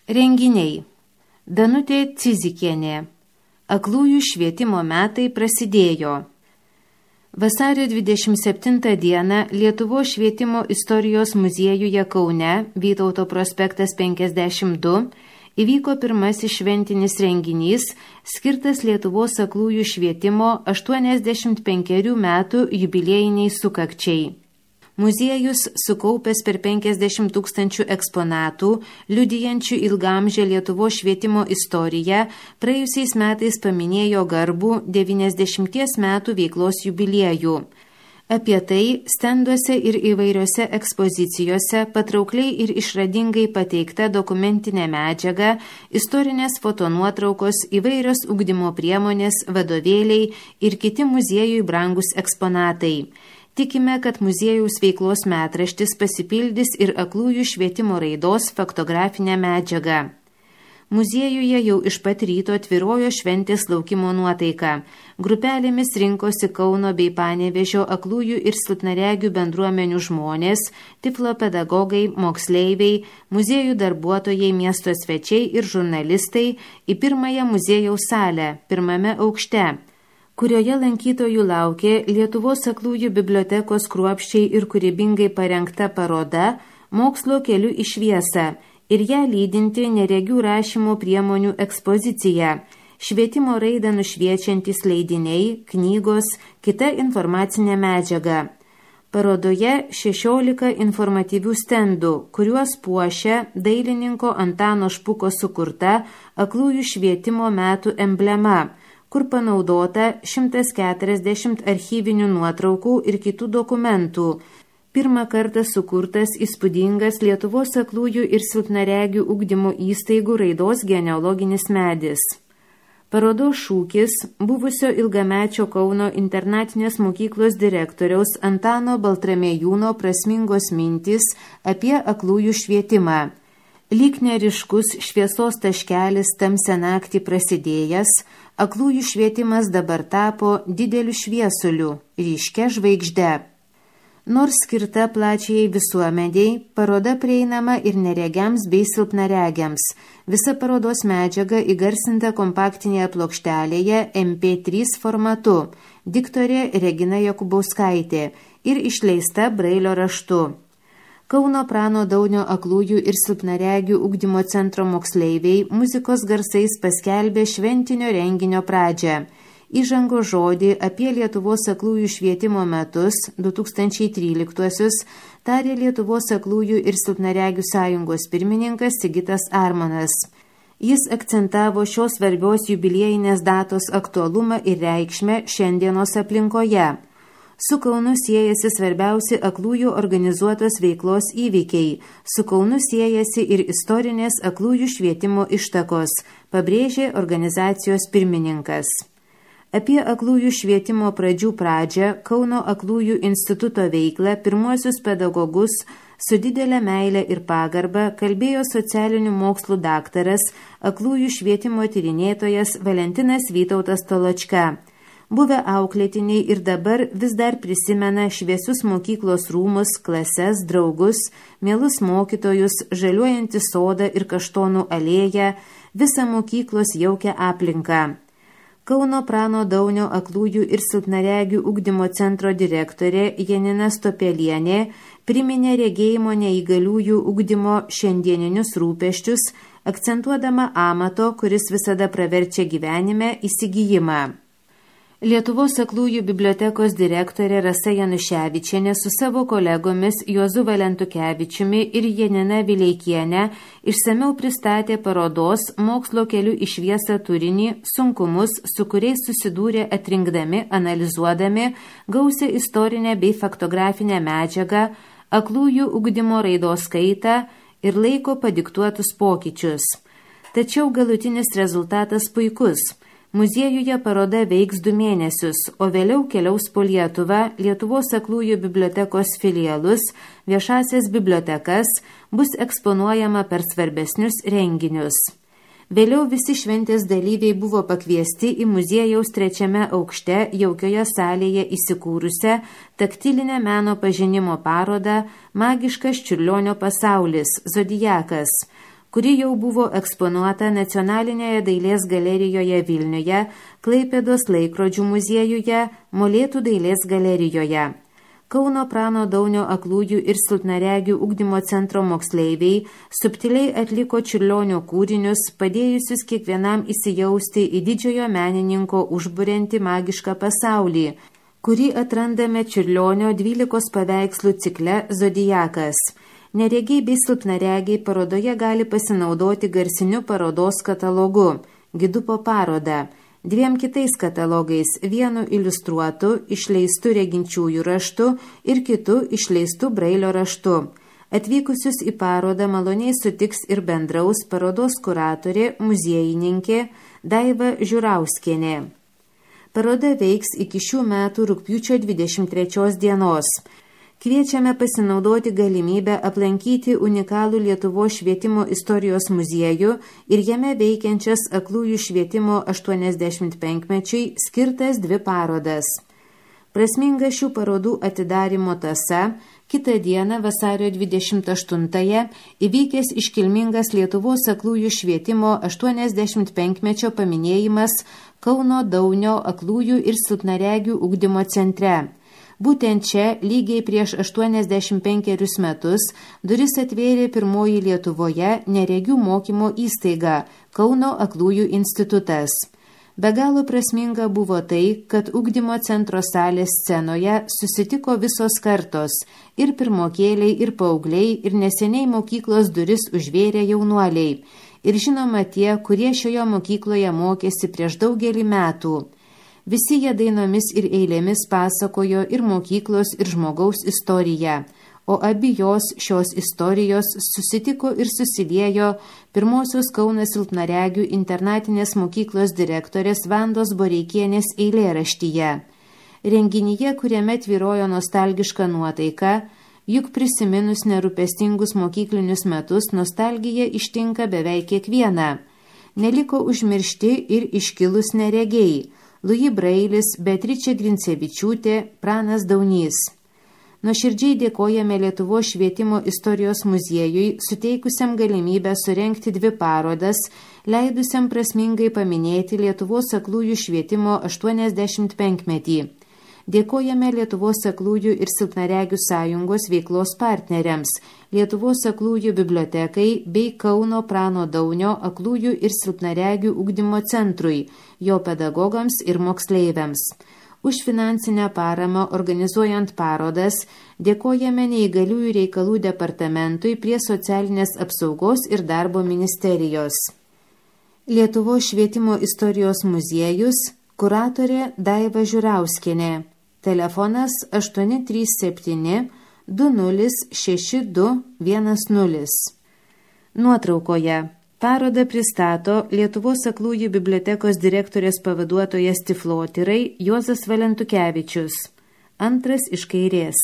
Renginiai. Danutė Cizikienė. Aklųjų švietimo metai prasidėjo. Vasario 27 dieną Lietuvos švietimo istorijos muziejuje Kaune, Vytauto prospektas 52, įvyko pirmasis šventinis renginys, skirtas Lietuvos aklųjų švietimo 85 metų jubiliejiniai sukakčiai. Muziejus, sukaupęs per 50 000 eksponatų, liudijančių ilgamžę Lietuvos švietimo istoriją, praėjusiais metais paminėjo garbų 90 metų veiklos jubiliejų. Apie tai stenduose ir įvairiose ekspozicijose patraukliai ir išradingai pateikta dokumentinė medžiaga, istorinės fotonuotraukos, įvairios ugdymo priemonės, vadovėliai ir kiti muziejui brangus eksponatai. Tikime, kad muziejaus veiklos metraštis pasipildys ir aklųjų švietimo raidos faktografinę medžiagą. Muziejuje jau iš pat ryto tvyrojo šventės laukimo nuotaika. Grupelėmis rinkosi Kauno bei Panevėžio aklųjų ir silpnaregių bendruomenių žmonės, tiflopedagogai, moksleiviai, muziejų darbuotojai, miesto svečiai ir žurnalistai į pirmąją muziejaus salę, pirmame aukšte, kurioje lankytojų laukė Lietuvos aklųjų bibliotekos kruopščiai ir kūrybingai parengta paroda Mokslo keliu į šviesą ir ją lydinti neregių rašymo priemonių ekspozicija, švietimo raidą nušviečiantys leidiniai, knygos, kita informacinė medžiaga. Parodoje 16 informatyvių stendų, kuriuos puošia dailininko Antano Špuko sukurta aklųjų švietimo metų emblema, kur panaudota 140 archyvinių nuotraukų ir kitų dokumentų. Pirmą kartą sukurtas įspūdingas Lietuvos aklųjų ir silpnaregių ugdymo įstaigų raidos genealoginis medis. Parodos šūkis buvusio ilgamečio Kauno internatinės mokyklos direktoriaus Antano Baltramėjūno prasmingos mintys apie aklųjų švietimą. Lyg neriškus šviesos taškelis tamsią naktį prasidėjęs, aklųjų švietimas dabar tapo dideliu šviesuliu, ryškia žvaigžde. Nors skirta plačiai visuomeniai, paroda prieinama ir neregiams bei silpnaregiams. Visa parodos medžiaga įgarsinta kompaktinėje plokštelėje MP3 formatu, diktorė Regina Jakubauskaitė ir išleista brailio raštu. Kauno Prano Daunio aklųjų ir silpnaregių ugdymo centro moksleiviai muzikos garsais paskelbė šventinio renginio pradžią. Įžango žodį apie Lietuvos aklųjų švietimo metus 2013 tarė Lietuvos aklųjų ir silpnaregių sąjungos pirmininkas Sigitas Armonas. Jis akcentavo šios svarbios jubiliejinės datos aktualumą ir reikšmę šiandienos aplinkoje. Su Kaunu siejasi svarbiausi aklųjų organizuotos veiklos įvykiai. Su Kaunu siejasi ir istorinės aklųjų švietimo ištakos, pabrėžė organizacijos pirmininkas. Apie aklųjų švietimo pradžią, Kauno aklųjų instituto veiklą, pirmuosius pedagogus su didelė meilė ir pagarba kalbėjo socialinių mokslų daktaras, aklųjų švietimo tyrinėtojas Valentinas Vytautas Toločka. Buvę auklėtiniai ir dabar vis dar prisimena šviesius mokyklos rūmus, klases, draugus, mielus mokytojus, žaliuojantį sodą ir kaštonų alėją, visą mokyklos jaukią aplinką. Kauno Prano Daunio aklųjų ir silpnaregių ugdymo centro direktorė Janina Stopelienė priminė regėjimo neįgaliųjų ugdymo šiandieninius rūpesčius, akcentuodama amato, kuris visada praverčia gyvenime, įsigijimą. Lietuvos aklųjų bibliotekos direktorė Rasa Januševičienė su savo kolegomis Juozu Valentukevičiumi ir Janina Vileikienė išsamiau pristatė parodos Mokslo keliu į šviesą turinį, sunkumus, su kuriais susidūrė atrinkdami, analizuodami gausią istorinę bei faktografinę medžiagą, aklųjų ugdymo raidos kaitą ir laiko padiktuotus pokyčius. Tačiau galutinis rezultatas puikus. Muziejuje paroda veiks 2 mėnesius, o vėliau keliaus po Lietuvą, Lietuvos aklųjų bibliotekos filialus, viešasias bibliotekas, bus eksponuojama per svarbesnius renginius. Vėliau visi šventės dalyviai buvo pakviesti į muziejaus 3 aukšte jaukioje salėje įsikūrusią taktilinę meno pažinimo parodą Magiškas Čiurlionio pasaulis – Zodiakas, kuri jau buvo eksponuota Nacionalinėje dailės galerijoje Vilniuje, Klaipėdos laikrodžių muziejuje, Molėtų dailės galerijoje. Kauno Prano Daunio aklųjų ir silpnaregių ugdymo centro moksleiviai subtiliai atliko Čiurlionio kūrinius, padėjusius kiekvienam įsijausti į didžiojo menininko užburiantį magišką pasaulį, kurį atrandame Čiurlionio 12 paveikslų cikle Zodiakas. Neregiai bei silpnaregiai parodoje gali pasinaudoti garsiniu parodos katalogu, gidu po parodą, 2 kitais katalogais, vienu iliustruotu, išleistu reginčiųjų raštu ir kitu išleistu brailio raštu. Atvykusius į parodą maloniai sutiks ir bendraus parodos kuratorė, muziejininkė Daiva Žiurauskienė. Paroda veiks iki šių metų rugpjūčio 23 dienos. Kviečiame pasinaudoti galimybę aplankyti unikalų Lietuvos švietimo istorijos muziejų ir jame veikiančias aklųjų švietimo 85-mečiui skirtas 2 parodas. Prasminga šių parodų atidarymo tąsa, kitą dieną vasario 28-ąją įvykęs iškilmingas Lietuvos aklųjų švietimo 85-mečio paminėjimas Kauno Daunio aklųjų ir silpnaregių ugdymo centre. Būtent čia, lygiai prieš 85 metus, duris atvėrė pirmoji Lietuvoje neregių mokymo įstaiga Kauno aklųjų institutas. Be galo prasminga buvo tai, kad ugdymo centro salės scenoje susitiko visos kartos – ir pirmokėliai, ir paaugliai, ir neseniai mokyklos duris užvėrė jaunuoliai. Ir žinoma tie, kurie šioje mokykloje mokėsi prieš daugelį metų. Visi jie dainomis ir eilėmis pasakojo ir mokyklos, ir žmogaus istoriją, o abi šios istorijos susitiko ir susiliejo pirmosios Kauno silpnaregių internatinės mokyklos direktorės Vandos Boreikienės eilėraštyje. Renginyje, kuriame tvyrojo nostalgiška nuotaika, juk prisiminus nerūpestingus mokyklinius metus nostalgija ištinka beveik kiekvieną. Neliko užmiršti ir iškilus neregiai. Luji Brailis, Beatričė Grincevičiūtė, Pranas Daunys. Nuoširdžiai dėkojame Lietuvos švietimo istorijos muziejui, suteikusiam galimybę surengti 2 parodas, leidusiam prasmingai paminėti Lietuvos aklųjų švietimo 85-metį. Dėkojame Lietuvos aklųjų ir silpnaregių sąjungos veiklos partneriams, Lietuvos aklųjų bibliotekai bei Kauno Prano Daunio aklųjų ir silpnaregių ugdymo centrui, jo pedagogams ir moksleiviams. Už finansinę paramą organizuojant parodas dėkojame Neįgaliųjų reikalų departamentui prie Socialinės apsaugos ir darbo ministerijos. Lietuvos švietimo istorijos muziejus, kuratorė Daiva Žiurauskienė. Telefonas 837 206210. Nuotraukoje parodą pristato Lietuvos aklųjų bibliotekos direktorės pavaduotojas Tiflotyrai Juozas Valentukevičius. Antras iš kairės.